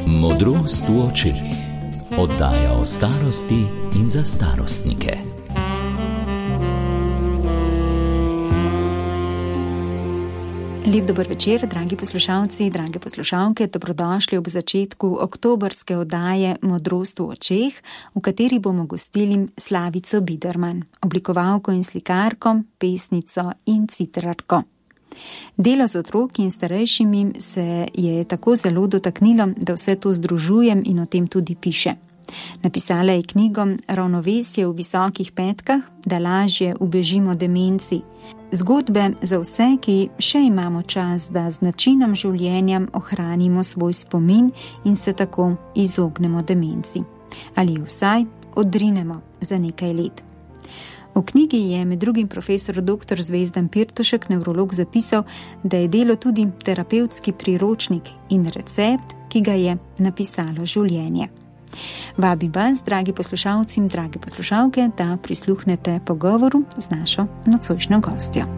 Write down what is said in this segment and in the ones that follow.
Modrost v očeh. Oddaja o starosti in za starostnike. Lep dober večer, dragi poslušalci, drage poslušalke, dobrodošli ob začetku oktobrske oddaje Modrost v očeh, v kateri bomo gostili Slavico Biderman, oblikovalko in slikarko, pesnico in citrarko. Delo z otroki in starejšimi se je tako zelo dotaknilo, da vse to združujem in o tem tudi piše. Napisala je knjigo Ravnovesje v visokih petkah, da lažje ubežimo demenci. Zgodbe za vse, ki še imamo čas, da z načinom življenja ohranimo svoj spomin in se tako izognemo demenci. Ali vsaj odrinemo za nekaj let. V knjigi je med drugim profesor dr. Zvezdan Pirtošek, nevrolog, zapisal, da je delo tudi terapevtski priročnik in recept, ki ga je napisalo življenje. Vabim vas, dragi poslušalci in drage poslušalke, da prisluhnete pogovoru z našo nocojšnjo gostjo.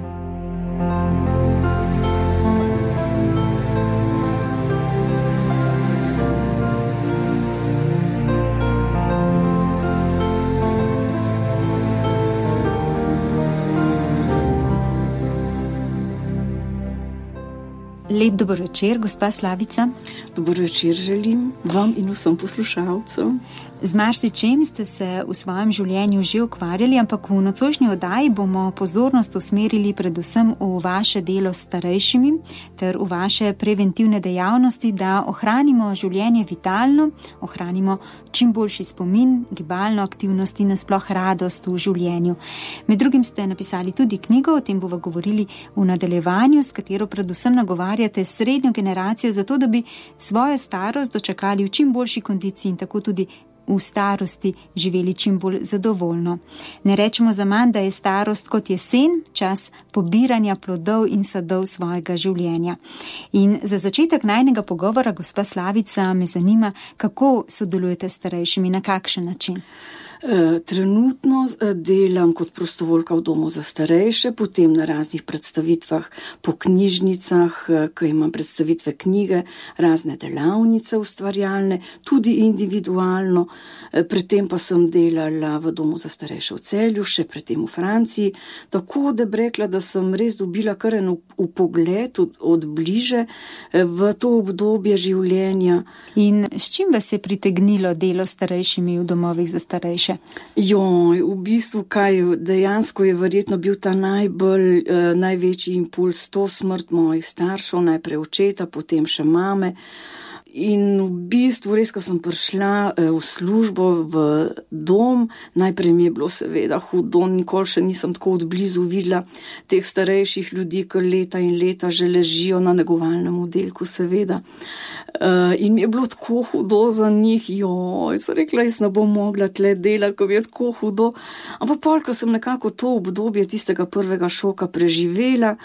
Lep dober večer, gospa Slavica. Dober večer želim vam in vsem poslušalcem. Z marsičem ste se v svojem življenju že ukvarjali, ampak v nocojšnji oddaji bomo pozornost usmerili predvsem v vaše delo s starejšimi ter v vaše preventivne dejavnosti, da ohranimo življenje vitalno, ohranimo čim boljši spomin, gibalno aktivnost in nasploh radost v življenju. Med drugim ste napisali tudi knjigo, o tem bomo govorili v nadaljevanju, s katero predvsem nagovarjate srednjo generacijo za to, da bi svojo starost dočakali v čim boljši kondiciji in tako tudi v starosti živeli čim bolj zadovoljno. Ne rečemo zaman, da je starost kot jesen, čas pobiranja plodov in sadov svojega življenja. In za začetek najnega pogovora, gospa Slavica, me zanima, kako sodelujete s starejšimi, na kakšen način? Trenutno delam kot prostovoljka v domu za starejše, potem na raznih predstavitvah po knjižnicah, ko imam predstavitve knjige, razne delavnice ustvarjalne, tudi individualno. Predtem pa sem delala v domu za starejše v Celju, še predtem v Franciji, tako da bi rekla, da sem res dobila kar en vpogled od bliže v to obdobje življenja. In s čim vas je pritegnilo delo s starejšimi v domovih za starejše? V bistvu dejansko je verjetno bil ta največji impuls to smrt mojih staršev, najprej očeta, potem še mame. In v bistvu res, ko sem prišla v službo v dom, najprej mi je bilo seveda hudo, nikoli še nisem tako odblizu videla teh starejših ljudi, ki leta in leta že ležijo na negovalnem oddelku, seveda. In mi je bilo tako hudo za njih, sem rekla, jaz ne bom mogla tle delati, ko mi je tako hudo. Ampak pol, ko sem nekako to obdobje tistega prvega šoka preživela,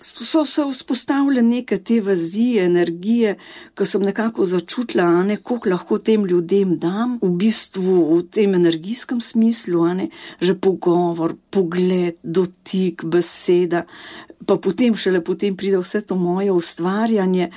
so se vzpostavile neke te vezi, energije, ko sem nekako začutila, koliko lahko tem ljudem dam, v bistvu v tem energijskem smislu, že pogovor, pogled, dotik, beseda, pa potem šele potem pride vse to moje ustvarjanje.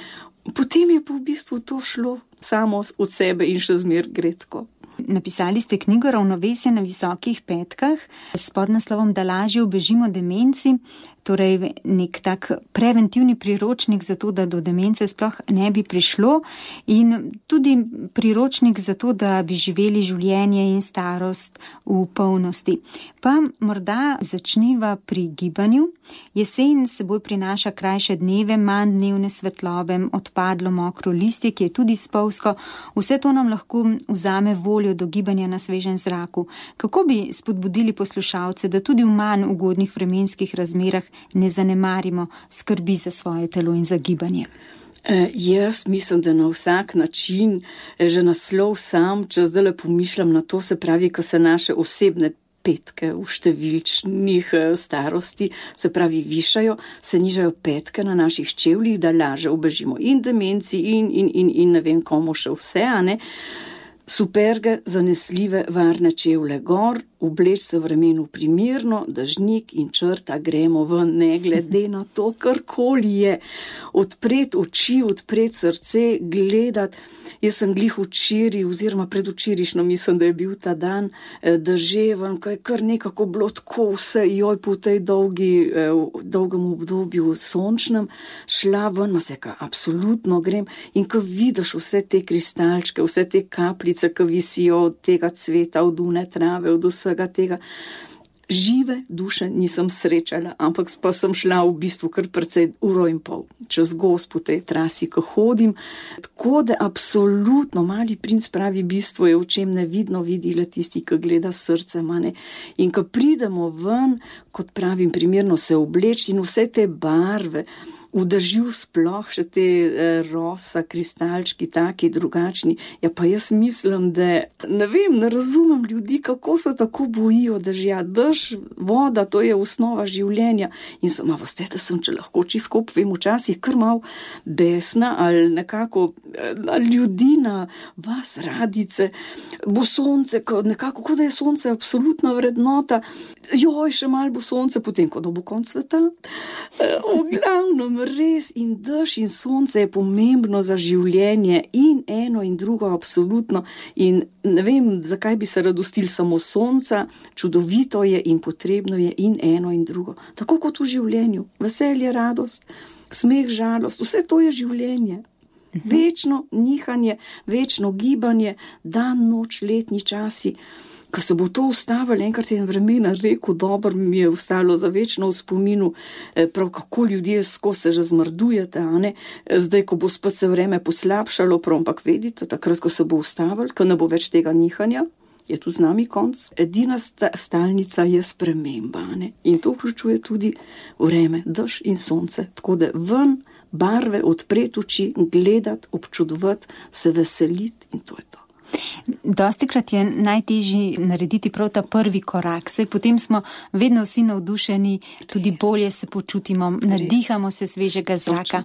Potem je pa v bistvu to šlo samo od sebe in še zmer gredko. Napisali ste knjigo Ravnovesje na visokih petkah s podnaslovom Da lažje ubežimo demenci, torej nek tak preventivni priročnik za to, da do demence sploh ne bi prišlo in tudi priročnik za to, da bi živeli življenje in starost v polnosti. Pa morda začniva pri gibanju. Jesen seboj prinaša krajše dneve, manj dnevne svetlobe, odpadlo mokro listje, ki je tudi spolzko. Vse to nam lahko vzame voljo do gibanja na svežem zraku. Kako bi spodbudili poslušalce, da tudi v manj ugodnih vremenskih razmerah ne zanemarimo skrbi za svoje telo in za gibanje? Jaz mislim, da na vsak način, že naslov sam, če zdaj pomišljam na to, se pravi, ko se naše osebne petke v številčnih starosti, se pravi višajo, se nižajo petke na naših čevljih, da lažje ubežimo in demenci in ne vem komu še vse, Superge, zanesljive, varne čevlje gor, obleč se v vremenu primerno, dežnik in črta, gremo ven, ne glede na to, karkoli je. Odpreti oči, odpreti srce, gledati. Jaz sem glih včeraj, oziroma predvčerajšnjo, mislim, da je bil ta dan deževen, ko je kar nekako bilo tako vse, joj, po tej dolgem obdobju sončnem, šla ven, ma se ka, absolutno grem, in ko vidiš vse te kristalčke, vse te kapljice, ki visijo od tega cveta, od une trave, od vsega tega, žive duše nisem srečala, ampak pa sem šla v bistvu kar precej 1,5 ure čez gozd po tej trasi, ko hodim. Tako da absolutno Mali princ pravi, bistvo je v čem nevidno vidi le tisti, ki gleda srce mane. In ko pridemo ven, kot pravim, primerno se obleči in vse te barve, v dežju sploh še te rosa, kristalčki, taki drugačni. Ja, pa jaz mislim, da ne vem, ne razumem ljudi, kako se tako bojijo dežja. Dež, voda, to je osnova življenja. In sem, veste, da sem, če lahko čisto povem, včasih kar mal besna ali nekako na ljudi, na vas radice, bo sonce, nekako, kot da je sonce absolutna vrednota. Joj, še mal bo sonce, potem, ko da bo konc sveta. V glavnem, res, in dež in sonce je pomembno za življenje, in eno in drugo absolutno, in ne vem, zakaj bi se radostil samo sonca, čudovito je in potrebno je in eno in drugo. Tako kot v življenju, veselje, radost, smeh, žalost, vse to je življenje. Večno nihanje, večno gibanje, dan, noč, letni časi. Ko se bo to ustavilo, enkrat je vremena rekel, dobro mi je ostalo za večno v spominu, prav kako ljudje skozi se že zmrdujete, a ne? Zdaj, ko bo spet se vreme poslabšalo, prav, ampak vedite, takrat, ko se bo ustavilo, ko ne bo več tega nihanja, je tu z nami konc. Edina stalnica je sprememba, ne? In to vključuje tudi vreme, dež in sonce. Tako da ven, barve, odpreti oči, gledati, občudovati, se veseliti in to je to. Dostikrat je najtežji narediti prav ta prvi korak, saj potem smo vedno vsi navdušeni, tudi bolje se počutimo, nadihamo se svežega zraka.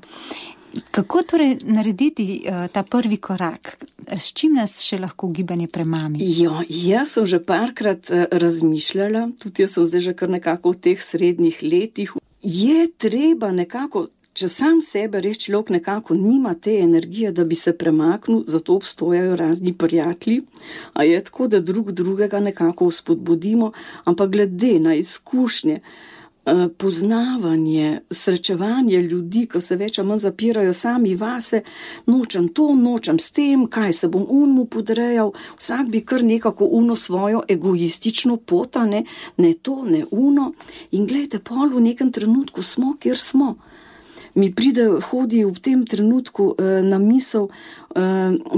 Kako torej narediti ta prvi korak? S čim nas še lahko gibanje premami? Jaz sem že parkrat razmišljala, tudi jaz sem zdaj že kar nekako v teh srednjih letih. Je treba nekako, če sam sebe res človek nekako nima te energije, da bi se premaknil, zato obstojajo razni prijatelji, a je tako, da drugega nekako spodbudimo, ampak glede na izkušnje, poznavanje, srečevanje ljudi, ko se več ali manj zapirajo sami vase, nočem to, nočem s tem, kaj se bom mu podrejal, vsak bi kar nekako svojo egoistično pot, ne to, ne in glejte, pol v nekem trenutku smo, kjer smo. Mi hodi v tem trenutku na misel,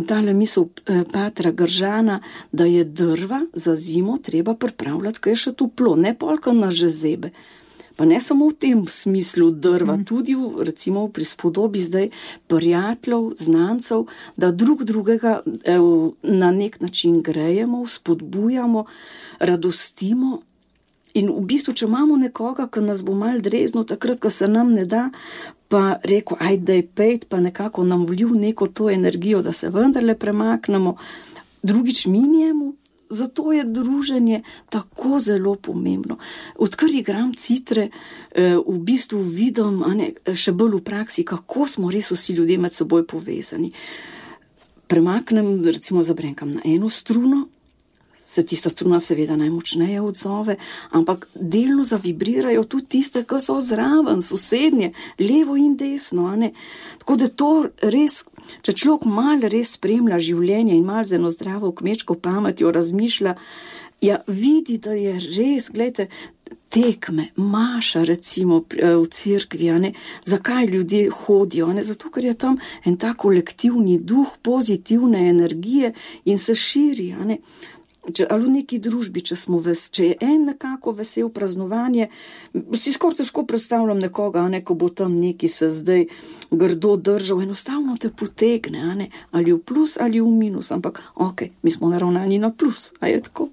tale misel patra Gržana, da je drva za zimo treba pripravljati, ko je še toplo, ne polka na žezebe. Pa ne samo v tem smislu drva, tudi recimo v prispodobi zdaj prijateljev, znancev, da drugega na nek način grejemo, spodbujamo, radostimo. In v bistvu, če imamo nekoga, ki nas bo mal dreznil, takrat, ko se nam ne da, pa rekel, ajde, pejt, pa nekako nam vlil neko to energijo, da se vendarle premaknemo, drugič mi njemu, zato je druženje tako zelo pomembno. Odkar igram citre, v bistvu vidim, še bolj v praksi, kako smo res vsi ljudje med seboj povezani. Premaknem, recimo zabrenkam na eno struno, se tista struna seveda najmočneje odzove, ampak delno zavibrirajo tudi tiste, ki so zraven, sosednje, levo in desno, Tako da to res, če človek malo res spremlja življenje in malo z eno zdravo kmečko pametjo razmišlja, vidi, da je res, gledajte, tekme, maša recimo v cerkvi, zakaj ljudje hodijo, zato, ker je tam en tak kolektivni duh, pozitivne energije in se širi, ali v neki družbi, če je en nekako vesel praznovanje, si skoraj težko predstavljam nekoga, ko bo tam neki se zdaj grdo držal, enostavno te potegne, ali v plus ali v minus, ampak mi smo naravnani na plus, a je tako?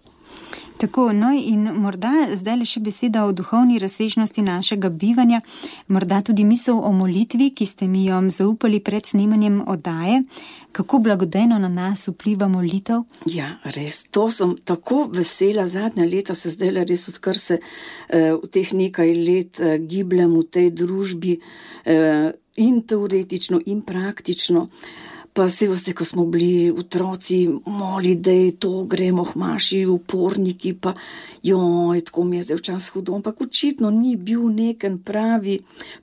Tako, no in morda zdaj le še beseda o duhovni razsežnosti našega bivanja, morda tudi misel o molitvi, ki ste mi jo zaupali pred snemanjem oddaje. Kako blagodejno na nas vpliva molitev? Ja, res, to sem tako vesela. Zadnja leta se zdaj res, odkar se v teh nekaj let gibljem v tej družbi in teoretično in praktično. Pa se veste, ko smo bili otroci, moli, da je to, gremo hmaši, uporniki, pa joj, tako mi je zdaj včasih hudo, ampak očitno ni bil neken pravi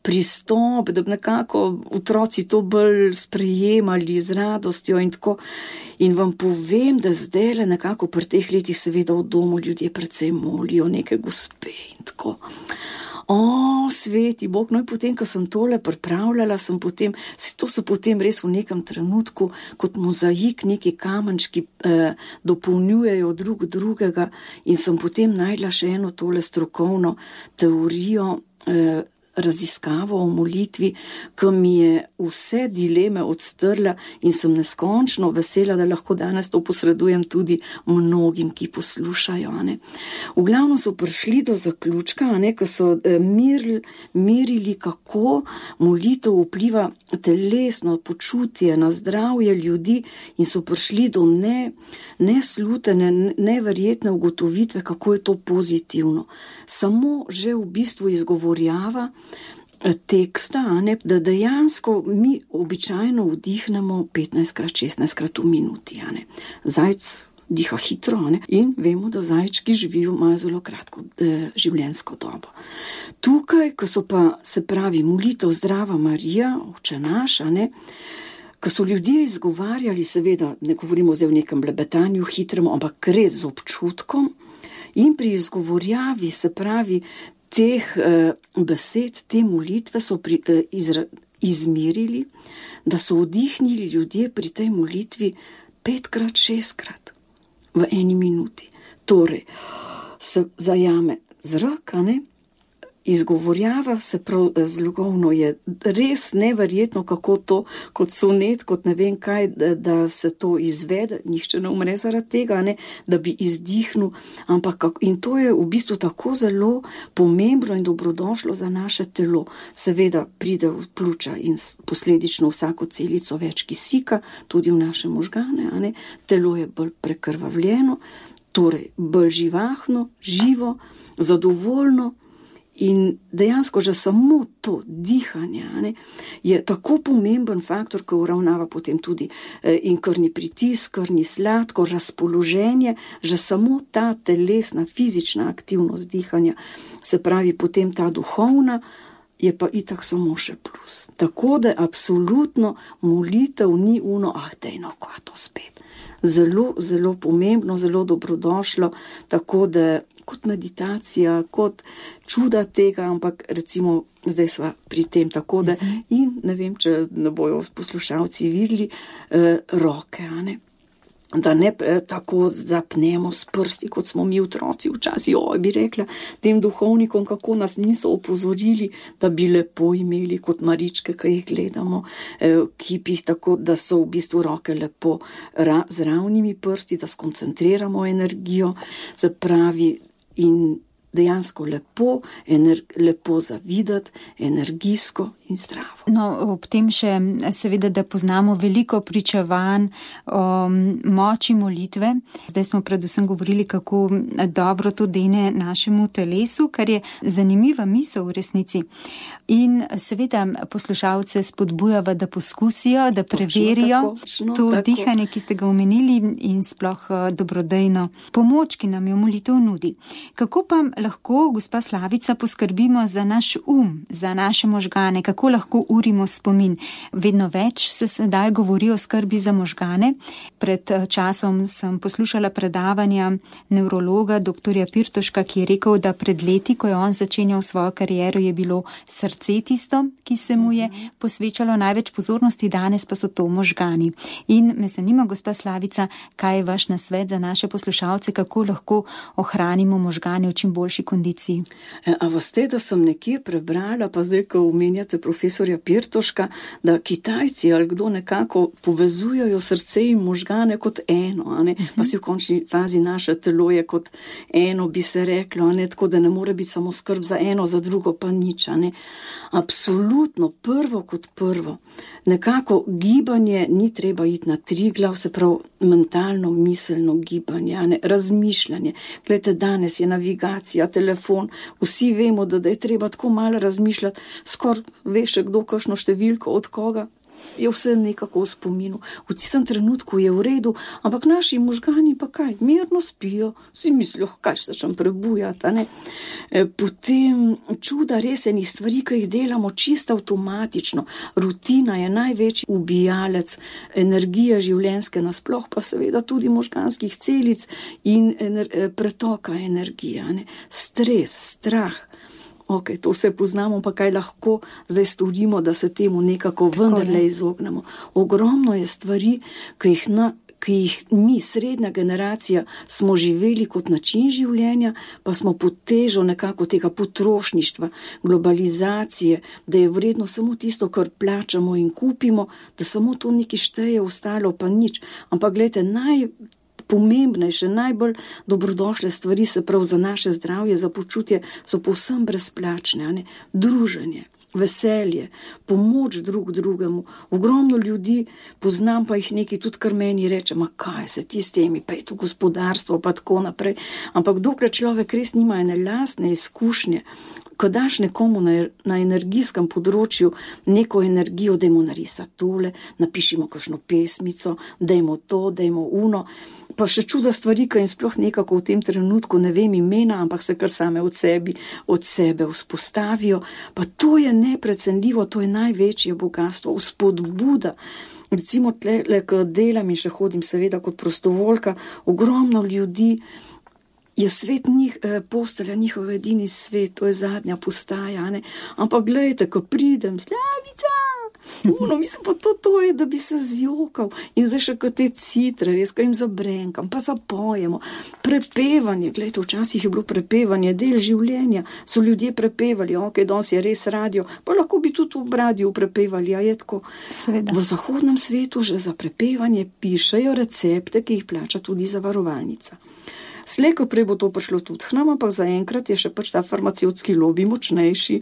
pristop, da bi nekako otroci to bolj sprejemali z radostjo in tako. In vam povem, da zdaj le nekako pri teh letih seveda v domu ljudje predvsem molijo neke gospe in tako. Sveti Bog, no in potem, ko sem tole pripravljala, to so potem res v nekem trenutku, kot mozaik, neki kamenčki dopolnjujejo drugega in sem potem najdla še eno tole strokovno teorijo, raziskavo o molitvi, ki mi je vse dileme odstrla in sem neskončno vesela, da lahko danes to posredujem tudi mnogim, ki poslušajo. V glavnem so prišli do zaključka, ko so merili, kako molitev vpliva telesno počutje na zdravje ljudi in so prišli do neslutene, neverjetne ugotovitve, kako je to pozitivno. Samo že v bistvu izgovorjava teksta, da dejansko mi običajno vdihnemo 15krat, 16krat v minuti. Zajec diha hitro in vemo, da zajčki imajo zelo kratko življenjsko dobo. Tukaj, ko so pa, se pravi, molitev Zdrava Marija, Oče naš, ko so ljudje izgovarjali, seveda ne govorimo zdaj o nekem blebetanju hitrem, ampak res z občutkom in pri izgovorjavi, se pravi, teh besed, te molitve so izmerili, da so vdihnili ljudje pri tej molitvi 5krat, 6krat v eni minuti. Torej, se zajame zrak, izgovorjava se prav zlogovno, je res neverjetno, kako to, kot sonet, kot ne vem kaj, da se to izvede, nihče ne umre zaradi tega, da bi izdihnil, ampak in to je v bistvu tako zelo pomembno in dobrodošlo za naše telo. Seveda pride v pljuča in posledično vsako celico več kisika, tudi v naše možgane, telo je bolj prekrvavljeno, torej bolj živahno, živo, zadovoljno. In dejansko že samo to dihanje je tako pomemben faktor, ki uravnava potem tudi in krvni pritisk, krvni sladkor, razpoloženje, že samo ta telesna, fizična aktivnost dihanja, se pravi potem ta duhovna, je pa itak samo še plus. Tako da absolutno molitev ni dejno, ko to spet. Zelo, zelo pomembno, zelo dobrodošlo, tako da kot meditacija, kot čuda tega, ampak recimo zdaj sva pri tem, tako da in ne vem, če ne bojo poslušalci videli roke, da ne tako zapnemo s prsti, kot smo mi otroci včasih, bi rekla tem duhovnikom, kako nas niso opozorili, da bi lepo imeli kot maričke, ki jih gledamo, kipih, tako da so v bistvu roke lepo z ravnimi prsti, da skoncentriramo energijo, se pravi in dejansko lepo zavidati, energijsko in zdravo. No, ob tem še seveda, da poznamo veliko pričevanj o moči molitve. Zdaj smo predvsem govorili, kako dobro to dene našemu telesu, kar je zanimiva misel v resnici. In seveda poslušalce spodbujava, da poskusijo, da preverijo to dihanje, ki ste ga omenili in sploh dobrodejno pomoč, ki nam jo molitev nudi. Kako pa lahko, gospa Slavica, poskrbimo za naš za naše možgane, kako lahko urimo spomin? Vedno več se sedaj govori o skrbi za možgane. Pred časom sem poslušala predavanja nevrologa dr. Pirtoška, ki je rekel, da pred leti, ko je on začenjal svojo kariero, je bilo srce tisto, ki se mu je posvečalo največ pozornosti, danes pa so to možgani. In me zanima, gospa Slavica, kaj je vaš nasvet za naše poslušalce, kako lahko ohranimo možgane v čim boljšem najboljši kondiciji. A veste, da sem nekje prebrala, pa zdaj, ko omenjate profesorja Pirtoška, da Kitajci ali kdo nekako povezujejo srce in možgane kot eno, a ne? Pa si v končni fazi naše telo je kot eno, bi se reklo, a ne? Tako da ne more biti samo skrb za eno, za drugo pa nič, a ne? Absolutno, prvo kot prvo. Nekako gibanje ni treba iti na Triglav, se pravi mentalno, miselno gibanje, a ne? Razmišljanje. Glejte, danes je navigacija, telefon, vsi vemo, da je treba tako malo razmišljati, skoraj veš, kdo kakšno številko od koga, je vse nekako v spominu. V tistem trenutku je v redu, ampak naši možgani pa kaj, mirno spijo, si mislijo, kaj se čem prebujati, a ne? Potem čuda res enih stvari, ki jih delamo čisto avtomatično. Rutina je največji ubijalec energije življenjske nasploh, pa seveda tudi možganskih celic in pretoka energije, a ne? Stres, strah. Ok, to vse poznamo, pa kaj lahko zdaj storimo, da se temu nekako vendarle izognemo. Ogromno je stvari, ki jih mi, srednja generacija, smo živeli kot način življenja, pa smo pod težo nekako tega potrošništva, globalizacije, da je vredno samo tisto, kar plačamo in kupimo, da samo to nekaj šteje, ostalo pa nič. Ampak gledajte, najpomembnejše, najbolj dobrodošle stvari, se prav za naše zdravje, za počutje, so povsem brezplačne, a ne? Druženje, veselje, pomoč drug drugemu. Ogromno ljudi poznam, pa jih nekaj tudi kar meni reče, ma kaj se ti s temi, pa je to gospodarstvo, pa tako naprej. Ampak dokler človek res nima ene lastne izkušnje, ko daš nekomu na energijskem področju neko energijo, dajmo narisati tole, napišimo kakšno pesmico, dajmo to, dajmo uno, pa še čuda stvari, ki jim sploh nekako v tem trenutku ne vem imena, ampak se kar same od sebe vzpostavijo, pa to je neprecenljivo, to je največje bogatstvo, vzpodbuda. Recimo tle, ko delam in še hodim seveda kot prostovoljka, ogromno ljudi, je svet postelja njihov edini svet, to je zadnja postaja, ne? Ampak gledajte, ko pridem, Slavica, mislim pa to je, da bi se zjokal in zdaj še kot te citre, res, ko jim zabrenkam, pa zapojemo. Prepevanje, gledajte, včasih je bilo prepevanje del življenja, so ljudje prepevali, ok, danes je res radio, pa lahko bi tudi v radiju prepevali, a je tako. Seveda. V zahodnem svetu že za prepevanje pišejo recepte, ki jih plača tudi zavarovalnica. Slej, ko prej bo to prišlo tudi k nam, ampak zaenkrat je še pač ta farmacevtski lobi močnejši.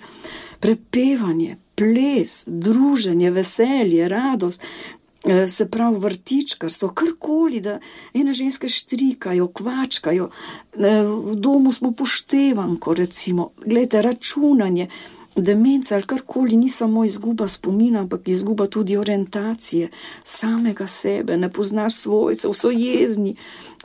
Prepevanje, ples, druženje, veselje, radost, se pravi vrtičkarstvo, karkoli, da ene ženske štrikajo, kvačkajo, v domu smo poštevanko, recimo, gledajte, računanje, demenca ali karkoli ni samo izguba spomina, ampak izguba tudi orientacije, samega sebe, ne poznaš svojcev, so jezni,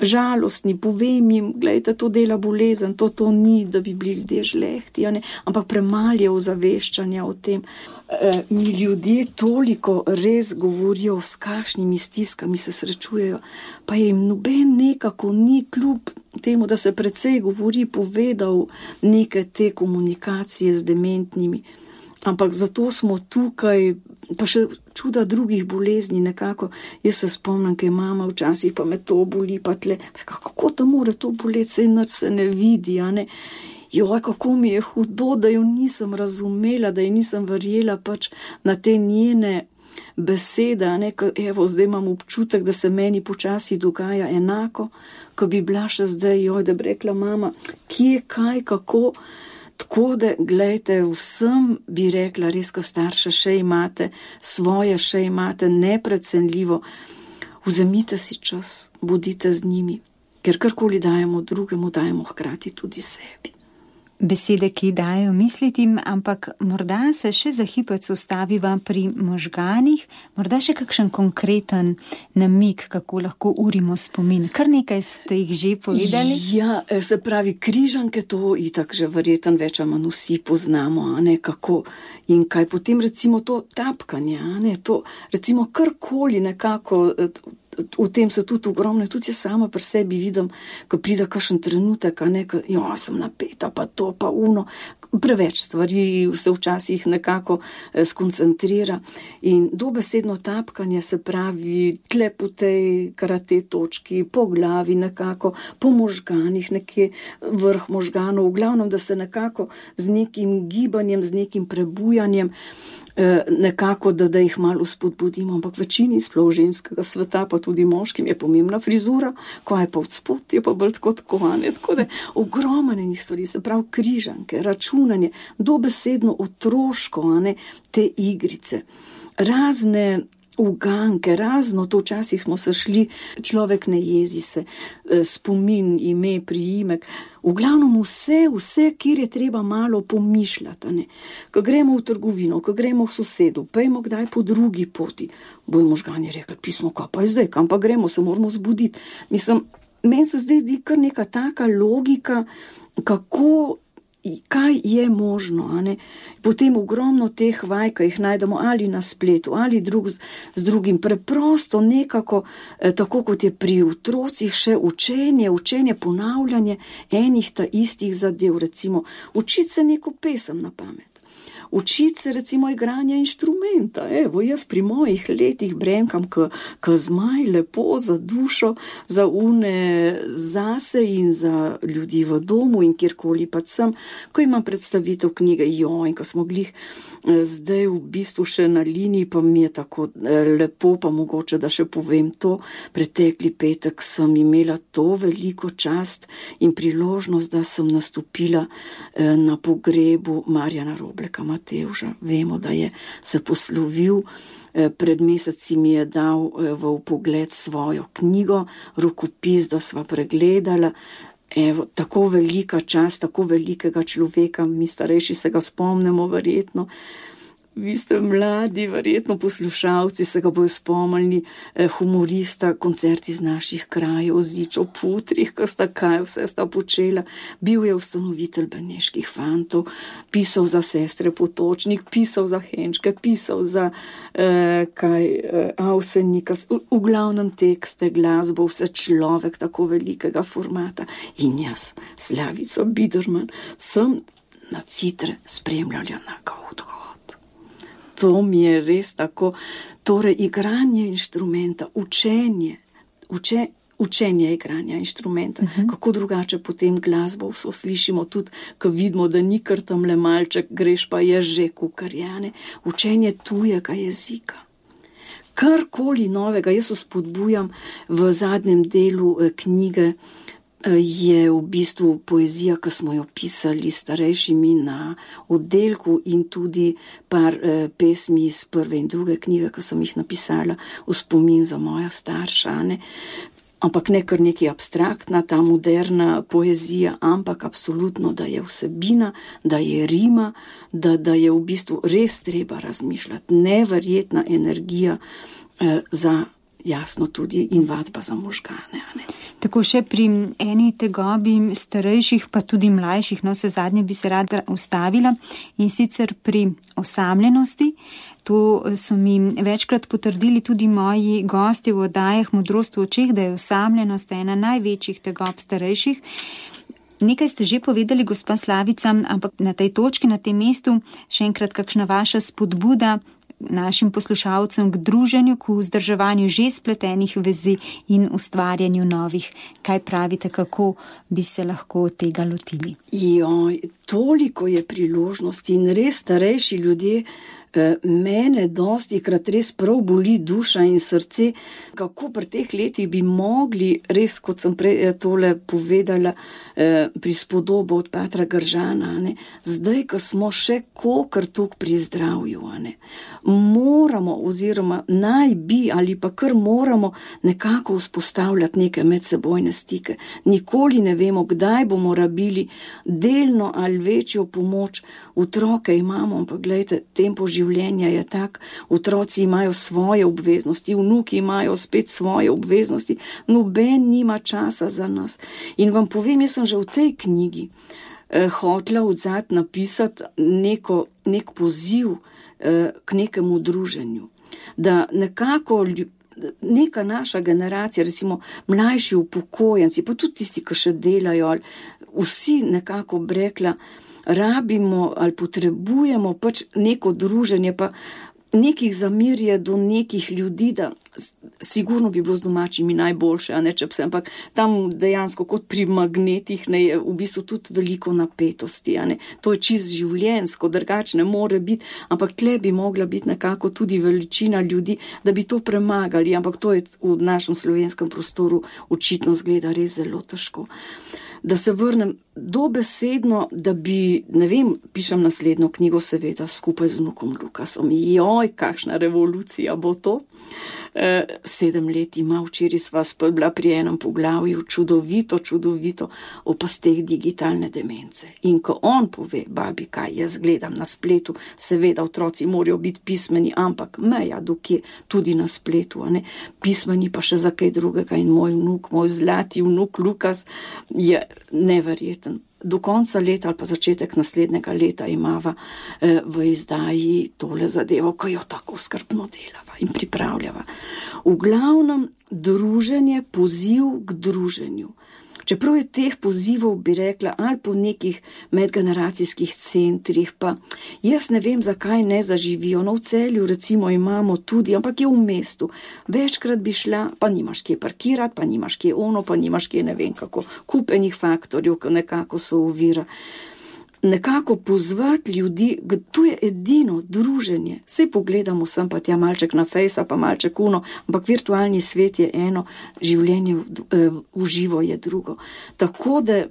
žalostni, povem jim, gledajte, to dela bolezen, to ni, da bi bili ljudje žlehti, ampak premalje ozaveščanja o tem. Mi ljudje toliko res govorijo, s kakšnimi stiskami se srečujejo, pa jim noben nekako ni kljub temu, da se precej govori, povedal neke te komunikacije z dementnimi. Ampak zato smo tukaj, pa še čuda drugih bolezni nekako. Jaz se spomnim, kaj mama včasih, pa me to boli, pa tle, kako da more to boleti, saj nič se ne vidi, a ne? Joj, kako mi je hudo, da jo nisem razumela, da ji nisem verjela pač na te njene besede, a ne, evo, zdaj imam občutek, da se meni počasi dogaja enako, ko bi bila še zdaj, joj, da bi rekla mama, kje, kaj, kako, tako da, gledajte, vsem bi rekla, res, ko starše še imate, svoje še imate, neprecenljivo, vzemite si čas, bodite z njimi, ker karkoli dajemo drugemu, dajemo hkrati tudi sebi. Besede, ki dajo misliti, ampak morda se še za hipec ustaviva pri možganih, morda še kakšen konkreten namig, kako lahko urimo spomin. Kar nekaj ste jih že povedali? Ja, se pravi, križanke, to itak že verjetno več ali manj vsi poznamo, a ne, kako in kaj. Potem recimo to tapkanje, a ne, to recimo karkoli nekako. V tem se tudi ogromno, tudi jaz sama pri sebi vidim, ko pride kakšen trenutek, a ne, joj, sem napeta, pa to, pa uno, preveč stvari se včasih nekako skoncentrira in dobesedno tapkanje, se pravi tle po tej karate točki, po glavi nekako, po možganih, nekje vrh možganov, v glavnem, da se nekako z nekim gibanjem, z nekim prebujanjem nekako, da jih malo spodbudimo, ampak večini sploh ženskega sveta, pa tudi moškim, je pomembna frizura, ko je pa od spod, je pa bolj tako, tako da ogromne stvari, se pravi križanke, računanje, dobesedno otroško, te igrice, razne uganke, razno, to včasih smo se šli, človek ne jezi se, spomin, ime, priimek, v glavnem vse, kjer je treba malo pomišljati, ko gremo v trgovino, ko gremo v sosedu, pejmo kdaj po drugi poti, bojo možgani rekli, pismo, kaj pa je zdaj, kam pa gremo, se moramo zbuditi. Mislim, meni se zdaj zdi kar neka taka logika, kaj je možno, Potem ogromno teh vaj, ki jih najdemo ali na spletu, ali drug z drugim, preprosto nekako, tako kot je pri otrocih še učenje, ponavljanje enih ta istih zadev, recimo, učiti se neko pesem na pamet. Učiti se recimo igranja inštrumenta. Evo, jaz pri mojih letih bremkam k zmaj, lepo za dušo, za zase in za ljudi v domu in kjerkoli pa sem, ko imam predstavitev knjige, in ko smo glih zdaj v bistvu še na liniji, pa mi je tako lepo, pa mogoče, da še povem to, pretekli petek sem imela to veliko čast in priložnost, da sem nastopila na pogrebu Marjana Robleka Matevža. Vemo, da je se poslovil, pred meseci mi je dal v vpogled svojo knjigo, rokopis, da sva pregledala. Evo, tako velika čast, tako velikega človeka, mi starejši se ga spomnimo verjetno. Vi ste mladi, verjetno poslušalci se ga bojo spomnili, humorista, koncerti iz naših krajev, Zičo Putrih, ko sta kaj vse sta počela. Bil je ustanovitelj Beneških fantov, pisal za sestre Potočnik, pisal za Henčke, pisal za Avsenika, v glavnem tekste, glasbo, vse človek tako velikega formata. In jaz, Slavica Biderman, sem na Citre spremljala na odhod. To mi je res tako, torej igranje inštrumenta, učenje igranja inštrumenta, kako drugače potem glasbo slišimo tudi, ko vidimo, da ni kar tamle malček, greš pa je že kukarjane, učenje tujega jezika. Karkoli novega, jaz spodbujam v zadnjem delu knjige, je v bistvu poezija, ki smo jo pisali starejšimi na oddelku in tudi par pesmi iz prve in druge knjige, ki sem jih napisala v spomin za moja starša, ampak ne kar nekaj abstraktna, ta moderna poezija, ampak absolutno, da je vsebina, da je rima, da je v bistvu res treba razmišljati, neverjetna energija za jasno tudi in vadba za možgane, Tako še pri eni tegobi starejših, pa tudi mlajših, vse zadnje bi se rada ustavila, in sicer pri osamljenosti. To so mi večkrat potrdili tudi moji gostje v oddajah Modrost v očeh, da je osamljenost ena največjih tegob starejših. Nekaj ste že povedali, gospa Slavica, ampak na tej točki, na tem mestu, še enkrat kakšna vaša spodbuda našim poslušalcem k druženju, k vzdrževanju že spletenih vezi in ustvarjanju novih. Kaj pravite, kako bi se lahko tega lotili? Toliko je priložnosti in res starejši ljudje, mene dostikrat res prav boli duša in srce, kako pri teh letih bi mogli res, kot sem prej tole povedala, prispodobo od Patra Gržana, zdaj, ko smo še kokr tuk pri zdravju, moramo oziroma naj bi ali pa kar moramo nekako vzpostavljati neke medsebojne stike. Nikoli ne vemo, kdaj bomo rabili delno ali večjo pomoč. Otroke imamo, ampak gledajte, tempo življenja je tak, otroci imajo svoje obveznosti, vnuki imajo spet svoje obveznosti, noben nima časa za nas. In vam povem, jaz sem že v tej knjigi hotela odzad napisati nek poziv k nekemu druženju, da nekako neka naša generacija, recimo mlajši upokojenci, pa tudi tisti, ki še delajo, vsi nekako brekla, rabimo ali potrebujemo pač neko druženje, pa nekih zamirje do nekih ljudi, da sigurno bi bilo z domačimi najboljše, a ne če pse, ampak tam dejansko kot pri magnetih ne, je v bistvu tudi veliko napetosti, a ne. To je čist življenjsko, drugače ne more biti, ampak tle bi mogla biti nekako tudi veličina ljudi, da bi to premagali, ampak to je v našem slovenskem prostoru očitno zgleda res zelo težko. Da se vrnem dobesedno, da bi, ne vem, pišem naslednjo knjigo seveda skupaj z vnukom Lukasom. Joj, kakšna revolucija bo to. 7 let ima, včeraj sva bila pri enem poglavju, čudovito o pasteh digitalne demence. In ko on pove, babi, kaj jaz gledam na spletu, seveda otroci morajo biti pismeni, ampak meja dokje, tudi na spletu, a ne, pismeni pa še za kaj drugega in moj zlati vnuk Lukas je neverjeten. Do konca leta ali pa začetek naslednjega leta imava v izdaji tole zadevo, ko jo tako skrbno delava in pripravljava. V glavnem druženje, poziv k druženju. Čeprav je teh pozivov, bi rekla, ali po nekih medgeneracijskih centrih, pa jaz ne vem, zakaj ne zaživijo. No, v Celju recimo imamo tudi, ampak je v mestu. Večkrat bi šla, pa nimaš kje parkirati, pa nimaš kje ono, pa nimaš kje ne vem kako. Kupenih faktorjev, ki nekako so ovira. Nekako pozvati ljudi, to je edino druženje. Sej pogledamo sem pa tja malček na fejsa, pa malček uno, ampak virtualni svet je eno, življenje v živo je drugo. Tako da,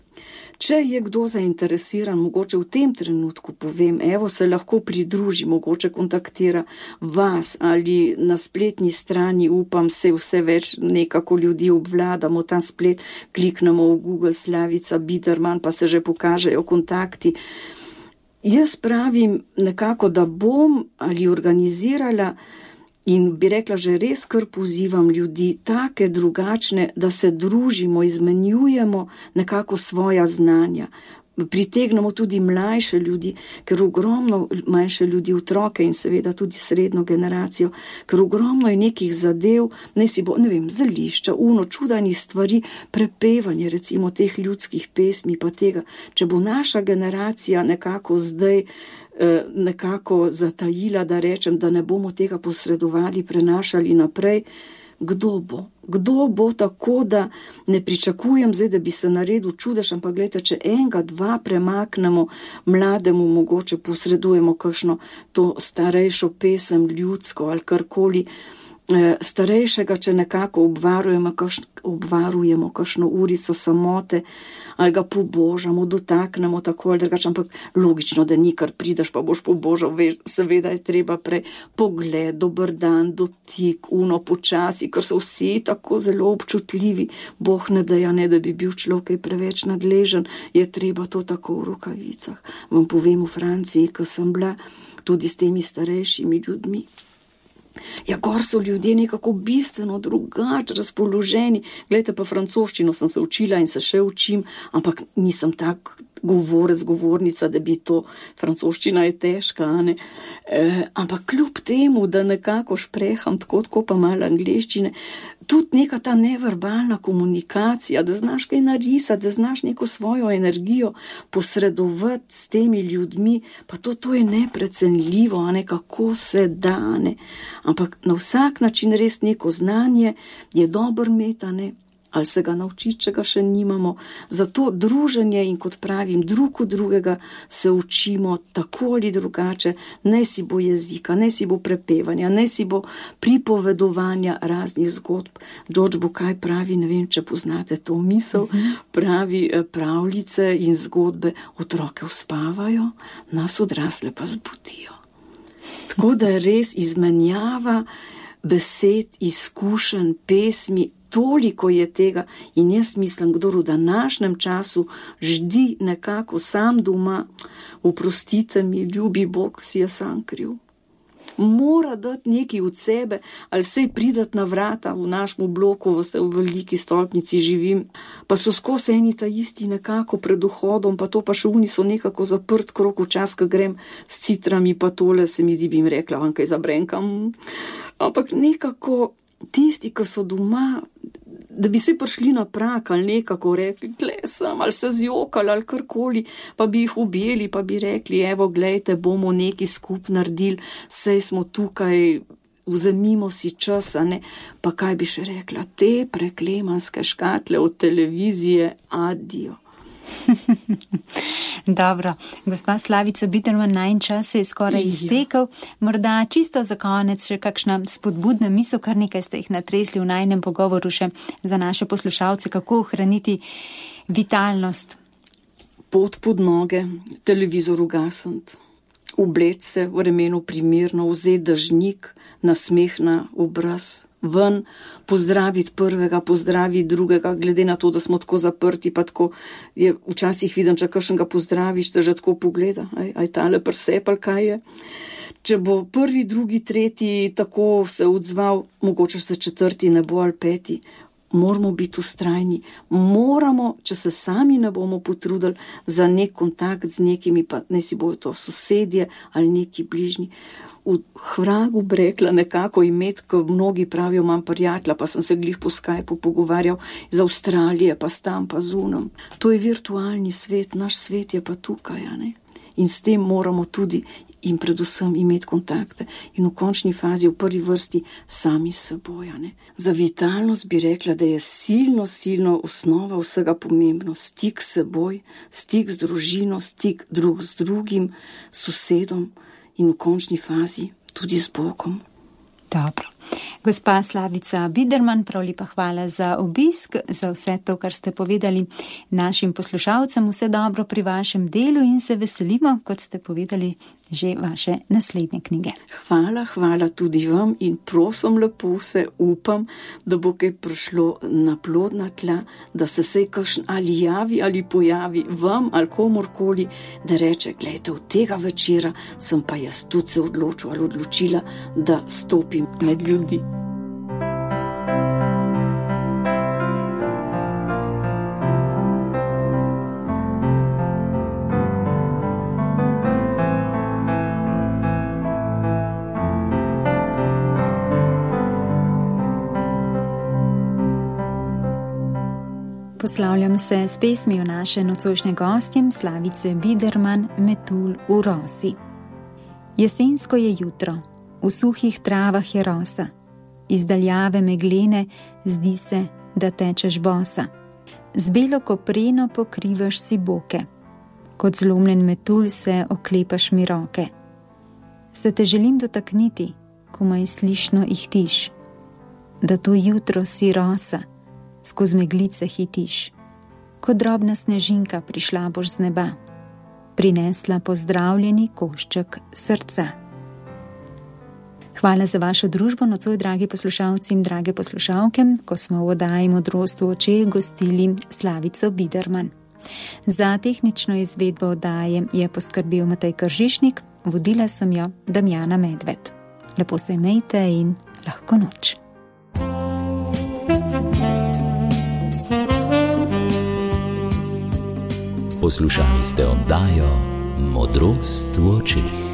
če je kdo zainteresiran, mogoče v tem trenutku povem, evo se lahko pridruži, mogoče kontaktira vas ali na spletni strani, upam se vse več nekako ljudi obvladamo, ta splet, kliknemo v Google Slavica Biderman, pa se že pokažejo kontakti. Jaz pravim nekako, da bom ali organizirala in bi rekla, že res kar pozivam ljudi, take drugačne, da se družimo, izmenjujemo nekako svoja znanja. Pritegnemo tudi mlajše ljudi, ker ogromno manjše ljudi, otroke in seveda tudi srednjo generacijo, ker ogromno je nekih zadev, ne si bo, ne vem, zelišča, čudanih stvari, prepevanje recimo teh ljudskih pesmi pa tega. Če bo naša generacija nekako zdaj nekako zatajila, da rečem, da ne bomo tega posredovali, prenašali naprej, Kdo bo tako, da ne pričakujem zdaj, da bi se naredil čudež, ampak gledajte, če enega, dva premaknemo mlademu, mogoče posredujemo kakšno to starejšo pesem, ljudsko ali karkoli, starejšega, če nekako obvarujemo kakšno urico samote ali ga pobožamo, dotaknemo tako ali drugače, ampak logično, da ni kar prideš, pa boš pobožal, veš, seveda je treba prej pogled, dober dan, dotik, počasi, ker so vsi tako zelo občutljivi, Bog ne daja, ne da bi bil človek preveč nadležen, je treba to tako v rokavicah. Vam povem v Franciji, ko sem bila tudi s temi starejšimi ljudmi, ja, gor so ljudje nekako bistveno drugače razpoloženi. Glejte, pa francoščino sem se učila in se še učim, ampak nisem tak govornica, da bi to, francoščina je težka, ne? Ampak kljub temu, da nekako špreham tako pa malo angleščine, tudi neka ta neverbalna komunikacija, da znaš kaj narisati, da znaš neko svojo energijo posredovati s temi ljudmi, pa to je neprecenljivo, a ne, kako se da, ne. Ampak na vsak način res neko znanje je dobro imeti, a ne, ali se ga naučiti, če ga še nimamo. Zato druženje in, kot pravim, drug od drugega se učimo tako ali drugače, naj si bo jezika, naj si bo prepevanja, naj si bo pripovedovanja raznih zgodb. George Bucay pravi, ne vem, če poznate to misel, pravi pravljice in zgodbe, otroke uspavajo, nas odrasle pa zbudijo. Tako da je res izmenjava besed, izkušenj, pesmi, toliko je tega in jaz mislim, kdor v današnjem času ždi nekako sam doma, oprostite mi, ljubi Bog, si je sam kriv. Mora dati nekaj od sebe, ali sej pridati na vrata v našemu bloku, v veliki stolpnici živim, pa so skozi eni ta isti nekako pred vhodom, pa to pa še oni so nekako zaprt krog, včas, ko grem s citrami, pa tole se mi zdi, bi jim rekla, kaj zabrenkam. Ampak nekako tisti, ki so doma, da bi se prišli na prak ali nekako rekli, gle sem, ali se zjokali ali karkoli, pa bi jih objeli, pa bi rekli, evo, glejte, bomo neki skup naredili, sej smo tukaj, vzemimo si čas, a ne, pa kaj bi še rekla, te preklemanske škatle od televizije, adijo. Dobro, gospa Slavica Biderman, najin čas se je skoraj iztekel. Morda čisto za konec še kakšna spodbudna misel, kar nekaj ste jih natresli v najinem pogovoru še za naše poslušalce, kako ohraniti vitalnost. Pot pod noge, televizor ugasniti, obleč se v vremenu primerno, vzeti dežnik, nasmeh na obraz, ven, pozdraviti prvega, pozdraviti drugega, glede na to, da smo tako zaprti, pa tako je včasih vidim, če kakšnega pozdraviš, te že tako pogleda, aj tale prsepal, kaj je. Če bo prvi, drugi, tretji tako se odzval, mogoče se četrti ne bo ali peti, moramo biti vztrajni, moramo, če se sami ne bomo potrudili za nek kontakt z nekimi, pa ne si bojo to sosedje ali neki bližnji, v Hragu brekla nekako imeti, ko mnogi pravijo, imam prijatelja, pa sem se glih po Skypeu pogovarjal iz Avstralije, pa stam, pa zunam. To je virtualni svet, naš svet je pa tukaj, a ne? In s tem moramo tudi in predvsem imeti kontakte in v končni fazi, v prvi vrsti, sami s seboj, a ne? Za vitalnost bi rekla, da je silno osnova vsega pomembno, stik s seboj, stik z družino, stik drug z drugim, s sosedom, in v končni fazi tudi z Bogom. Dobro. Gospa Slavica Biderman, prav lepa hvala za obisk, za vse to, kar ste povedali našim poslušalcem. Vse dobro pri vašem delu in se veselimo, kot ste povedali, že vaše naslednje knjige. Hvala tudi vam in prosim lepo se, upam, da bo kaj prišlo na plodna tla, da se sej kakšen ali javi ali pojavi vam ali komorkoli, da reče, glejte, od tega večera sem pa jaz tudi se odločil ali odločila, da stopim med ljudi. Poslavljam se s pesmijo naše nocojšnje gostjem Slavice Biderman, Metulj v rosi. Jesensko je jutro, v suhih travah je rosa, iz daljave meglene zdi se, da tečeš bosa. Z belo kopreno pokrivaš si boke, kot zlomljen metulj se oklepaš mi roke. Se te želim dotakniti, komaj slišno ihtiš, da to jutro si rosa, skozi meglice hitiš. Kot drobna snežinka prišla boš z neba, prinesla pozdravljeni košček srca. Hvala za vašo družbo nocoj, dragi poslušalci in drage poslušalke, ko smo v oddaji Modrost v očeh gostili Slavico Biderman. Za tehnično izvedbo oddaje je poskrbel Matej Kržišnik, vodila sem jo Damjana Medved. Lepo se imejte in lahko noč. Poslušali ste oddajo Modrost v očeh.